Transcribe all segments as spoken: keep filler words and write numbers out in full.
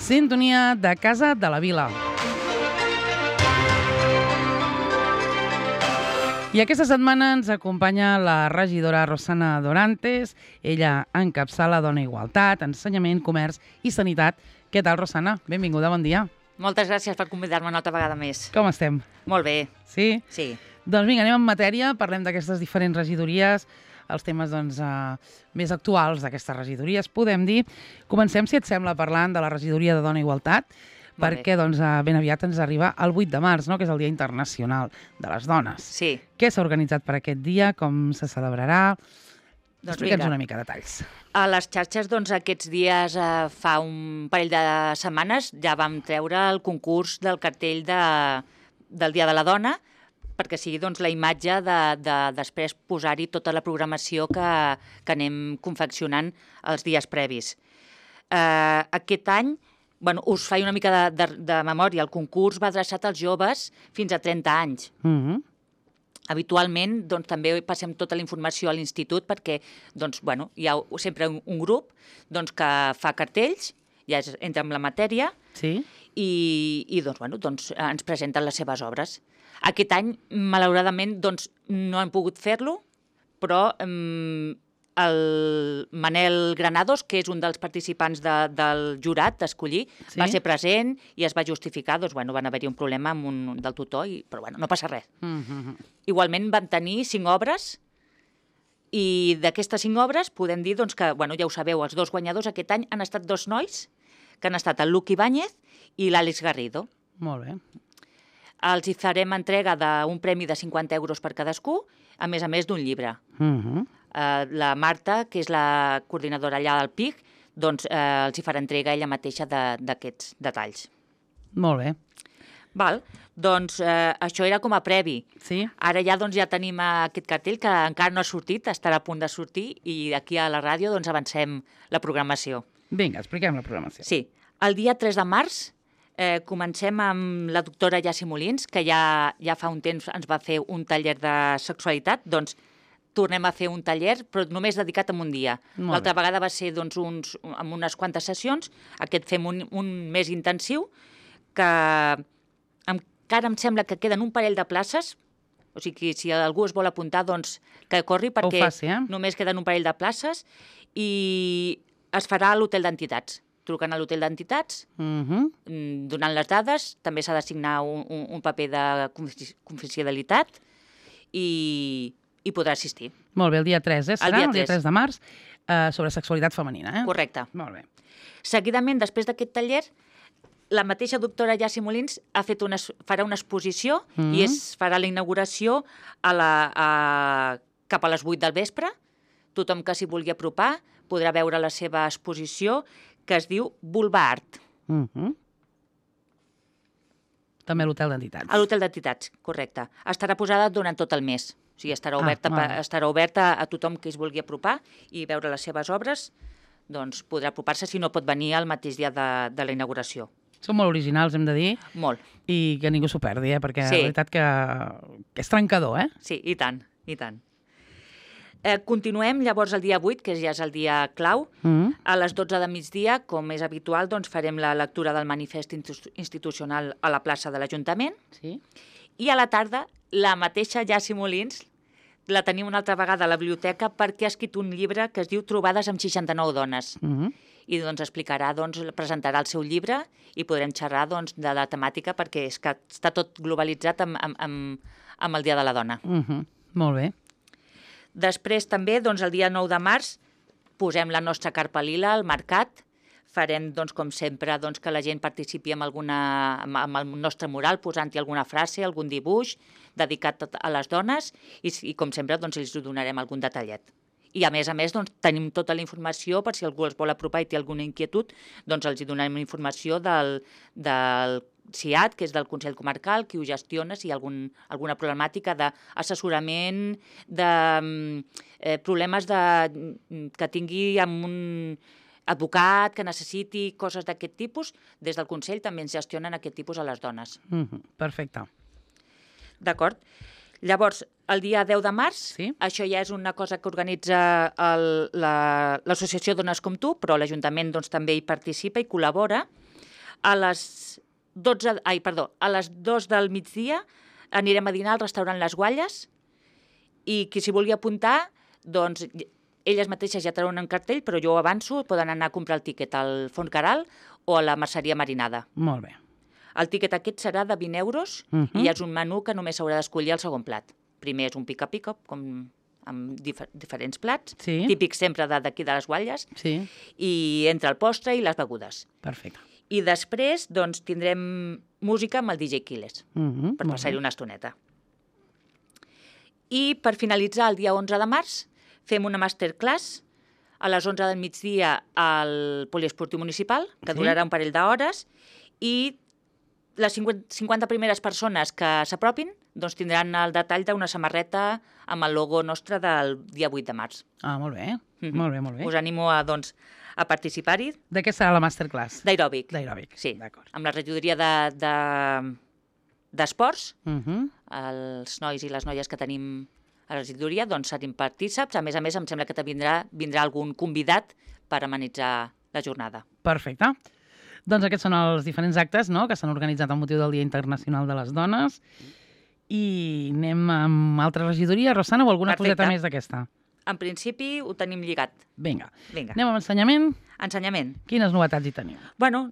Sintonia de Casa de la Vila. I aquesta setmana ens acompanya la regidora Rosana Dorantes. Ella encapçala Dona Igualtat, Ensenyament, Comerç i Sanitat. Què tal, Rosana? Benvinguda, bon dia. Moltes gràcies per convidar-me una altra vegada més. Com estem? Molt bé. Sí? Sí. Doncs vinga, anem en matèria, parlem d'aquestes diferents regidories, els temes doncs, eh, més actuals d'aquestes regidories, podem dir. Comencem, si et sembla, parlant de la regidoria de Dona Igualtat, perquè doncs, ben aviat ens arriba el vuit de març, no? Que és el Dia Internacional de les Dones. Sí. Què s'ha organitzat per aquest dia? Com se celebrarà? Doncs Explica'ns vinga. una mica detalls. A les xarxes, doncs, aquests dies, eh, fa un parell de setmanes, ja vam treure el concurs del cartell de, del Dia de la Dona, perquè sigui doncs, la imatge de, de després posar-hi tota la programació que, que anem confeccionant els dies previs. Eh, aquest any, bueno, us faig una mica de, de, de memòria, el concurs va adreçat als joves fins a trenta anys. Mhm. Habitualment, doncs, també passem tota la informació a l'institut perquè doncs, bueno, hi ha sempre un, un grup doncs, que fa cartells, ja és, entra en la matèria, Sí? i, i doncs, bueno, doncs, ens presenten les seves obres. Aquest any, malauradament, doncs, no hem pogut fer-lo, però eh, el Manel Granados, que és un dels participants de, del jurat d'escollir, Sí? va ser present i es va justificar, doncs, bueno, van haver-hi un problema amb un, del tutor, i, però bueno, no passa res. Mhm. Igualment vam tenir cinc obres i d'aquestes cinc obres podem dir doncs, que, bueno, ja ho sabeu, els dos guanyadors aquest any han estat dos nois, que han estat el Luc Ibáñez i l'Àlex Garrido. Molt bé. Els hi farem entrega d'un premi de cinquanta euros per cadascú, a més a més d'un llibre. Mhm. Eh, la Marta, que és la coordinadora allà del P I C, doncs eh, els hi farà entrega ella mateixa de- d'aquests detalls. Molt bé. Val? Doncs eh, això era com a previ. Sí? Ara ja, doncs, ja tenim aquest cartell que encara no ha sortit, estarà a punt de sortir, i aquí a la ràdio doncs, avancem la programació. Vinga, expliquem la programació. Sí, el dia tres de març eh, comencem amb la doctora Jassi Molins, que ja, ja fa un temps ens va fer un taller de sexualitat, doncs tornem a fer un taller, però només dedicat a un dia. Molt L'altra bé. vegada va ser doncs, uns, amb unes quantes sessions, aquest fem un, un més intensiu, que encara em sembla que queden un parell de places, o sigui, si algú es vol apuntar, doncs que corri, perquè faci, eh? només queden un parell de places, i es farà a l'hotel d'entitats. Truquen a l'hotel d'entitats, Mhm. mm, donant les dades, també s'ha d'assignar un, un, un paper de confi- confidencialitat i, i podrà assistir. Molt bé, el dia tres, eh? Serà dia el dia tres. tres de març, eh, sobre sexualitat femenina, eh? Correcte. Molt bé. Seguidament, després d'aquest taller, la mateixa doctora Jassi Molins ha fet una, es- farà una exposició Mhm. i es farà la inauguració a la, a, cap a les vuit del vespre. Tothom que s'hi vulgui apropar podrà veure la seva exposició, que es diu Vulva Art, Mhm. També a l'hotel d'entitats. a l'hotel d'entitats, correcte. Estarà posada durant tot el mes. O sigui, estarà Ah, oberta, molt pa- bé. estarà oberta a tothom que es vulgui apropar i veure les seves obres, doncs podrà apropar-se si no pot venir el mateix dia de, de la inauguració. Són molt originals, hem de dir, Molt. i que ningú s'ho perdi, eh? Perquè Sí. la veritat que, que és trencador, eh? Sí, i tant, i tant. Eh, continuem llavors el dia vuit, que ja és el dia clau. Mhm. A les dotze de migdia, com és habitual, doncs farem la lectura del manifest institu- institucional a la plaça de l'Ajuntament. Sí? I a la tarda, la mateixa Jassi Molins la tenim una altra vegada a la biblioteca perquè ha escrit un llibre que es diu Trobades amb seixanta-nou dones. Mhm. I doncs explicarà, doncs, presentarà el seu llibre i podrem xerrar doncs, de la temàtica perquè és que està tot globalitzat amb, amb, amb, amb el Dia de la Dona. Mhm. Molt bé. Després també, doncs, el dia nou de març, posem la nostra carpa lila al mercat. Farem, doncs, com sempre, doncs, que la gent participi amb, alguna, amb, amb el nostre mural, posant-hi alguna frase, algun dibuix dedicat a les dones i, i com sempre, doncs, els donarem algun detallet. I, a més a més, doncs, tenim tota la informació per si algú els vol apropar i té alguna inquietud, doncs els hi donarem informació del, del C I A T, que és del Consell Comarcal, qui ho gestiona, si hi ha algun, alguna problemàtica d'assessorament, de mm, eh, problemes de, mm, que tingui amb un advocat, que necessiti coses d'aquest tipus, des del Consell també ens gestionen aquest tipus a les dones. Mhm. Perfecte. D'acord? Llavors, el dia deu de març, Sí. això ja és una cosa que organitza el- la- l'Associació Dones com Tu, però l'Ajuntament doncs, també hi participa i col·labora. A les dotze, ai, perdó, a les dos del migdia anirem a dinar al restaurant Les Gualles i qui s'hi vulgui apuntar, doncs elles mateixes ja treuen un cartell, però jo avanço, poden anar a comprar el tíquet al Font Caral o a la Merceria Marinada. Molt bé. El tíquet aquest serà de vint euros uh -huh. i és un menú que només s'haurà d'escollir el segon plat. Primer és un pica-pica, com amb difer diferents plats, sí. típics sempre d'aquí de Les Gualles, sí. i entre el postre i les begudes. Perfecte. I després doncs, tindrem música amb el D J Quiles, uh -huh. per passar-hi una estoneta. I per finalitzar, el dia onze de març, fem una masterclass a les onze del migdia al Poliesportiu Municipal, que sí. durarà un parell d'hores, i les cinquanta primeres persones que s'apropin doncs tindran el detall d'una samarreta amb el logo nostre del dia vuit de març. Ah, molt bé, mm-hmm. molt bé, molt bé. Us animo a, doncs, a participar-hi. De què serà la masterclass? D'aeròbic. D'aeròbic, sí. D'acord. Amb la regidoria d'esports, de, de, uh-huh. els nois i les noies que tenim a la regidoria, doncs serin partíceps. A més a més, em sembla que vindrà, vindrà algun convidat per amenitzar la jornada. Perfecte. Doncs aquests són els diferents actes, no?, que s'han organitzat amb motiu del Dia Internacional de les Dones. I anem amb altra regidoria, Rosana, o alguna Perfecte. coseta més d'aquesta? En principi ho tenim lligat. Vinga. Vinga. Anem amb ensenyament? Ensenyament. Quines novetats hi teniu? Bueno,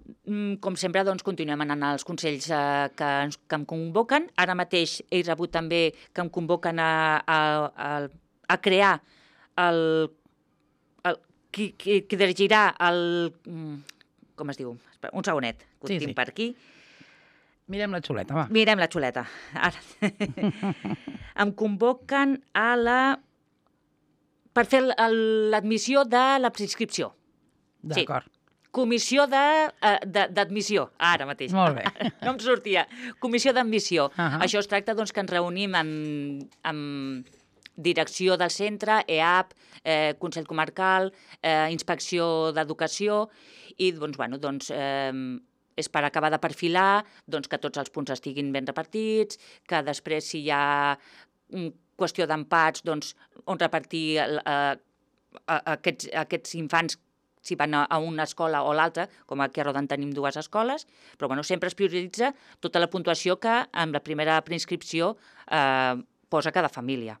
com sempre, doncs, continuem anant als consells eh, que, ens, que em convoquen. Ara mateix he rebut també que em convoquen a, a, a, a crear el, el qui, qui, qui dirigirà el... Com es diu? Un segonet, que ho sí, tinc sí. per aquí. Mirem la xuleta, va. Mirem la xuleta. Ara. Em convoquen a la... per fer l'admissió de la preinscripció. D'acord. Sí. Comissió d'admissió, ara mateix. Molt bé. No em sortia. Comissió d'admissió. Uh -huh. Això es tracta doncs, que ens reunim amb, amb direcció del centre, E A P, eh, Consell Comarcal, eh, Inspecció d'Educació, i doncs, bueno, doncs, eh, és per acabar de perfilar doncs, que tots els punts estiguin ben repartits, que després si hi ha qüestió d'empats, doncs, on repartir eh, aquests, aquests infants si van a, a una escola o l'altra, com aquí a Rodan tenim dues escoles, però bueno, sempre es prioritza tota la puntuació que en la primera preinscripció eh, posa cada família.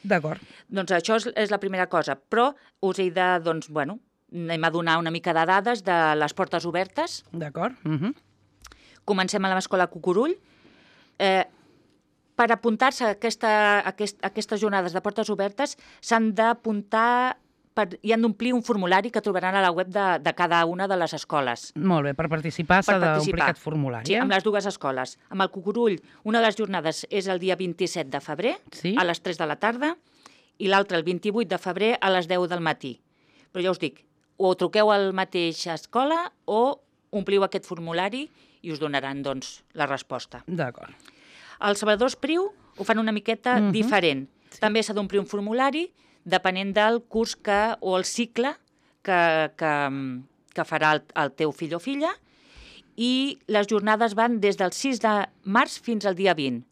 D'acord. Doncs això és, és la primera cosa, però us he de, doncs, bueno, anem a donar una mica de dades de les portes obertes. D'acord. Uh -huh. Comencem a l'escola Cucurull. Eh, per apuntar-se a, aquesta, a, aquest, a aquestes jornades de portes obertes s'han d'apuntar per, i han d'omplir un formulari que trobaran a la web de, de cada una de les escoles. Molt bé, per participar s'ha d'omplir aquest formulari. Sí, eh? amb les dues escoles. Amb el Cucurull, una de les jornades és el dia vint-i-set de febrer, sí? a les tres de la tarda, i l'altra el vint-i-vuit de febrer a les deu del matí. Però ja us dic, o truqueu a la mateixa escola o ompliu aquest formulari i us donaran, doncs, la resposta. D'acord. Els Salvador Espriu ho fan una miqueta uh -huh. diferent. Sí. També s'ha d'omplir un formulari depenent del curs que, o el cicle que, que, que farà el, el teu fill o filla, i les jornades van des del sis de març fins al dia vint.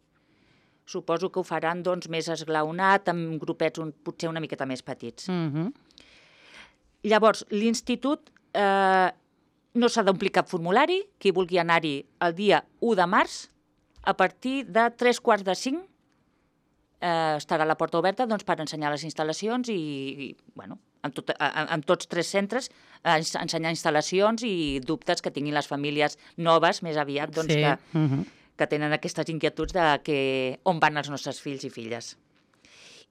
Suposo que ho faran doncs, més esglaonat, amb grupets un, potser una miqueta més petits. Uh -huh. Llavors, l'institut eh, no s'ha d'omplir cap formulari. Qui vulgui anar-hi el dia u de març, a partir de tres quarts de cinc, eh, estarà la porta oberta doncs, per ensenyar les instal·lacions i, i bueno, amb, tot, amb, amb tots tres centres eh, ensenyar instal·lacions i dubtes que tinguin les famílies noves, més aviat, doncs, sí. que, uh -huh. que tenen aquestes inquietuds de que, on van els nostres fills i filles.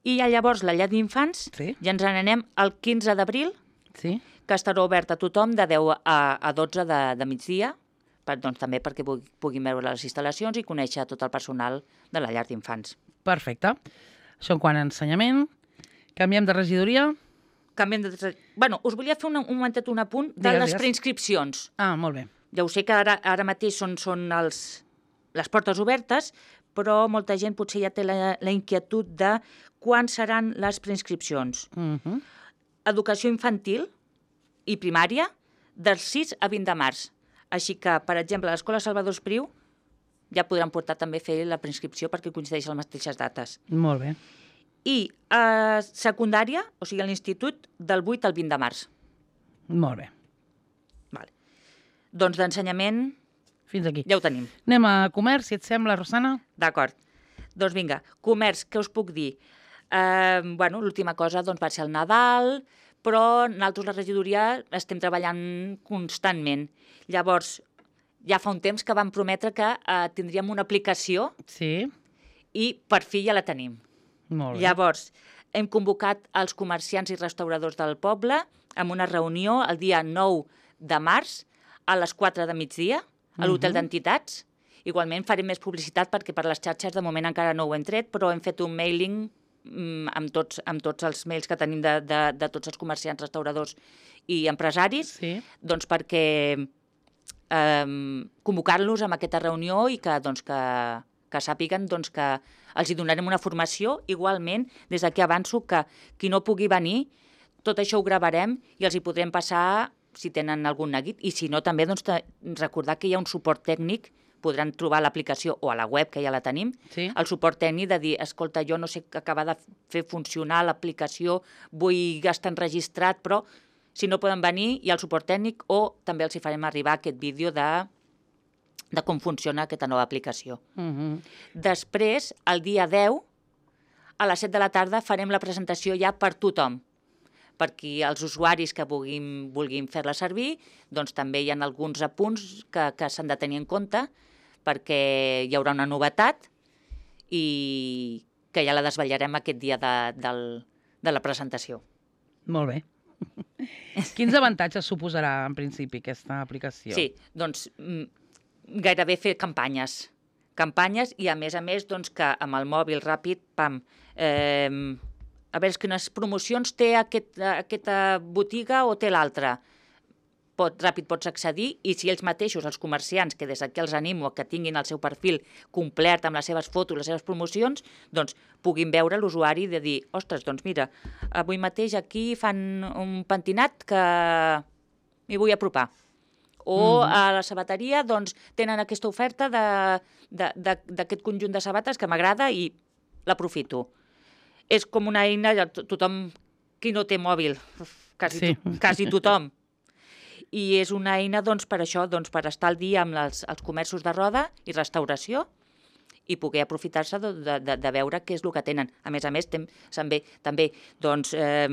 I ja llavors la llar d'infants, sí. ja ens n'anem el quinze d'abril, sí. que estarà obert a tothom de deu a dotze de, de migdia, per, doncs, també perquè puguin veure les instal·lacions i conèixer tot el personal de la llar d'infants. Perfecte. Això en quant a ensenyament. Canviem de regidoria. Canviem de... Bueno, us volia fer un, un momentet, un apunt de digues, les digues. preinscripcions. Ah, molt bé. Ja ho sé que ara, ara mateix són, són els, les portes obertes, però molta gent potser ja té la, la inquietud de quan seran les preinscripcions. Uh -huh. Educació infantil i primària, del sis a vint de març. Així que, per exemple, a l'Escola Salvador Espriu ja podran portar també a fer la preinscripció perquè coincideix les mateixes dates. Molt bé. I a secundària, o sigui a l'institut, del vuit al vint de març. Molt bé. Vale. Doncs d'ensenyament... Fins aquí. Ja ho tenim. Anem a comerç, si et sembla, Rosana? D'acord. Doncs vinga, comerç, què us puc dir? Eh, bueno, l'última cosa doncs, va ser el Nadal, però nosaltres, la regidoria, estem treballant constantment. Llavors, ja fa un temps que vam prometre que eh, tindríem una aplicació Sí. i per fi ja la tenim. Molt bé. Llavors, hem convocat els comerciants i restauradors del poble amb una reunió el dia nou de març a les quatre de migdia a l'Hotel Mhm. d'Entitats. Igualment farem més publicitat perquè per les xarxes de moment encara no ho hem tret, però hem fet un mailing mm, amb, tots, amb tots els mails que tenim de, de, de tots els comerciants, restauradors i empresaris, Sí. doncs perquè eh, convocar-los a aquesta reunió i que, doncs, que, que sàpiguen doncs, que els hi donarem una formació. Igualment, des d'aquí avanço que qui no pugui venir, tot això ho gravarem i els hi podrem passar si tenen algun neguit, i si no també doncs, recordar que hi ha un suport tècnic, podran trobar l'aplicació o a la web, que ja la tenim, Sí. el suport tècnic de dir, escolta, jo no sé acabar de fer funcionar l'aplicació, vull estar enregistrat, però si no poden venir hi ha el suport tècnic o també els hi farem arribar aquest vídeo de, de com funciona aquesta nova aplicació. Mhm. Després, el dia deu, a les set de la tarda, farem la presentació ja per tothom, perquè els usuaris que vulguin, vulguin fer-la servir, doncs també hi ha alguns apunts que, que s'han de tenir en compte, perquè hi haurà una novetat i que ja la desvetllarem aquest dia de, del, de la presentació. Molt bé. Quins avantatges suposarà, en principi, aquesta aplicació? Sí, doncs mm, gairebé fer campanyes. Campanyes i, a més a més, doncs, que amb el mòbil ràpid, pam, eh, a veure quines promocions té aquest, aquesta botiga o té l'altra. Pot, ràpid pots accedir i si ells mateixos, els comerciants, que des d'aquí els animo a que tinguin el seu perfil complert amb les seves fotos, les seves promocions, doncs puguin veure l'usuari de dir, ostres, doncs mira, avui mateix aquí fan un pentinat que m'hi vull apropar. O Mhm. a la sabateria doncs, tenen aquesta oferta de- de- de- d'aquest conjunt de sabates que m'agrada i l'aprofito. És com una eina, ja to- tothom, qui no té mòbil, quasi, Sí. to, quasi tothom. I és una eina doncs, per això, doncs, per estar al dia amb els, els comerços de roda i restauració i poder aprofitar-se de, de, de, de veure què és el que tenen. A més a més, tem, també, també doncs, eh,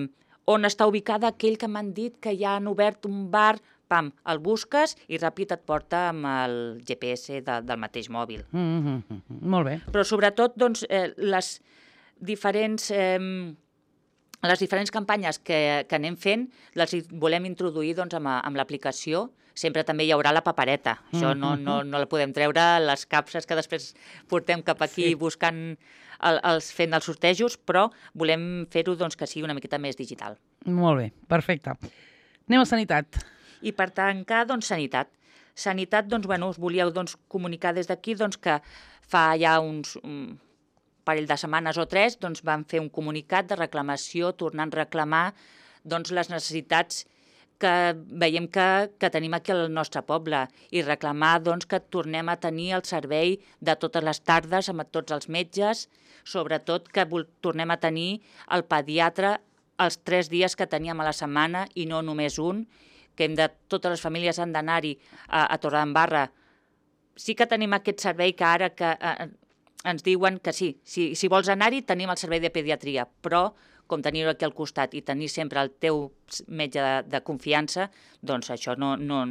on està ubicada aquell que m'han dit que ja han obert un bar, pam, el busques i ràpid et porta amb el G P S de, del mateix mòbil. Mhm. Molt bé. Però sobretot doncs, eh, les diferents... Eh, les diferents campanyes que, que anem fent les hi volem introduir doncs, amb, amb l'aplicació. Sempre també hi haurà la papereta. Això no, no, no la podem treure, les capses que després portem cap aquí Sí. buscant, el, els, fent els sortejos, però volem fer-ho doncs, que sigui una miqueta més digital. Molt bé, perfecte. Anem a sanitat. I per tancar, doncs, sanitat. Sanitat, doncs, bueno, us volíeu doncs, comunicar des d'aquí doncs, que fa ja uns... Um, parell de setmanes o tres, doncs, vam fer un comunicat de reclamació, tornant a reclamar doncs, les necessitats que veiem que, que tenim aquí al nostre poble i reclamar doncs, que tornem a tenir el servei de totes les tardes amb tots els metges, sobretot que tornem a tenir el pediatre els tres dies que teníem a la setmana i no només un, que hem de, totes les famílies han d'anar-hi a, a Torredembarra. Sí que tenim aquest servei que ara que, eh, ens diuen que sí, si, si vols anar-hi tenim el servei de pediatria, però com tenir-ho aquí al costat i tenir sempre el teu metge de, de confiança, doncs això no... no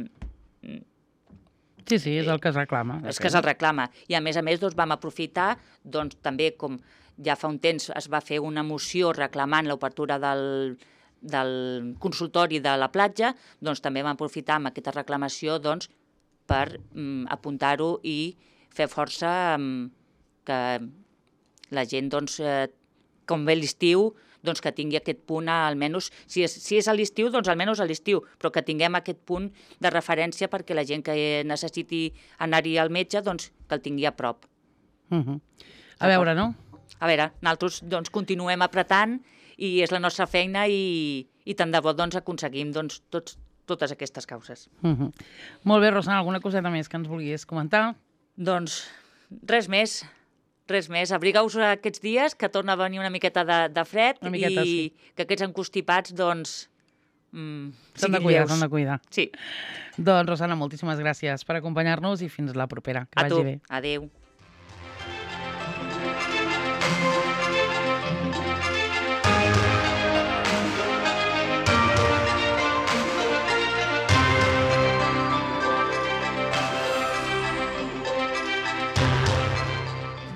Sí, sí, és el que es reclama. és que se'l reclama. I a més a més doncs, vam aprofitar, doncs també com ja fa un temps es va fer una moció reclamant l'obertura del, del consultori de la platja, doncs també vam aprofitar amb aquesta reclamació doncs, per mm, apuntar-ho i fer força mm, que la gent, doncs, eh, com ve l'estiu, doncs que tingui aquest punt, almenys, si és, si és a l'estiu, doncs almenys a l'estiu, però que tinguem aquest punt de referència perquè la gent que necessiti anar-hi al metge, doncs que el tingui a prop. Uh -huh. A veure, no? A veure, nosaltres doncs, continuem apretant i és la nostra feina i, i tant de bo doncs, aconseguim doncs, tots, totes aquestes causes. Uh -huh. Molt bé, Rosana, alguna coseta més que ens vulguis comentar? Doncs res més. Res més, abrigueu-vos aquests dies, que torna a venir una miqueta de, de fred Una miqueta, i sí. que aquests encostipats, doncs, mm, S'han de siguin cuidar, lleus. s'han de cuidar. Sí. Doncs, Rosana, moltíssimes gràcies per acompanyar-nos i fins la propera. Que A tu. vagi bé. Adéu.